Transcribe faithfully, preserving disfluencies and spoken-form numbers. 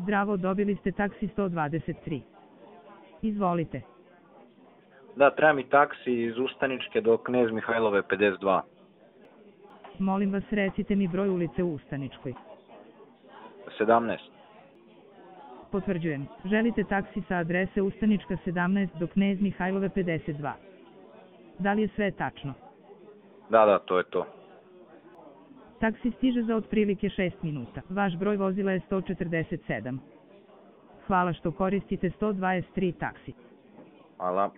Zdravo, dobili ste taksi sto dvadeset tri. Izvolite. Da, treba mi taksi iz Ustaničke do Knez Mihajlove pedeset dva. Molim vas, recite mi broj ulice u Ustaničkoj. sedamnaest. Potvrđujem. Želite taksi sa adrese Ustanička sedamnaest do Knez Mihajlove pedeset dva. Da li je sve tačno? Da, da, to je to. Taksi stiže za otprilike šest minuta. Vaš broj vozila je sto četrdeset sedam. Hvala što koristite sto dvadeset tri taksi. Hvala.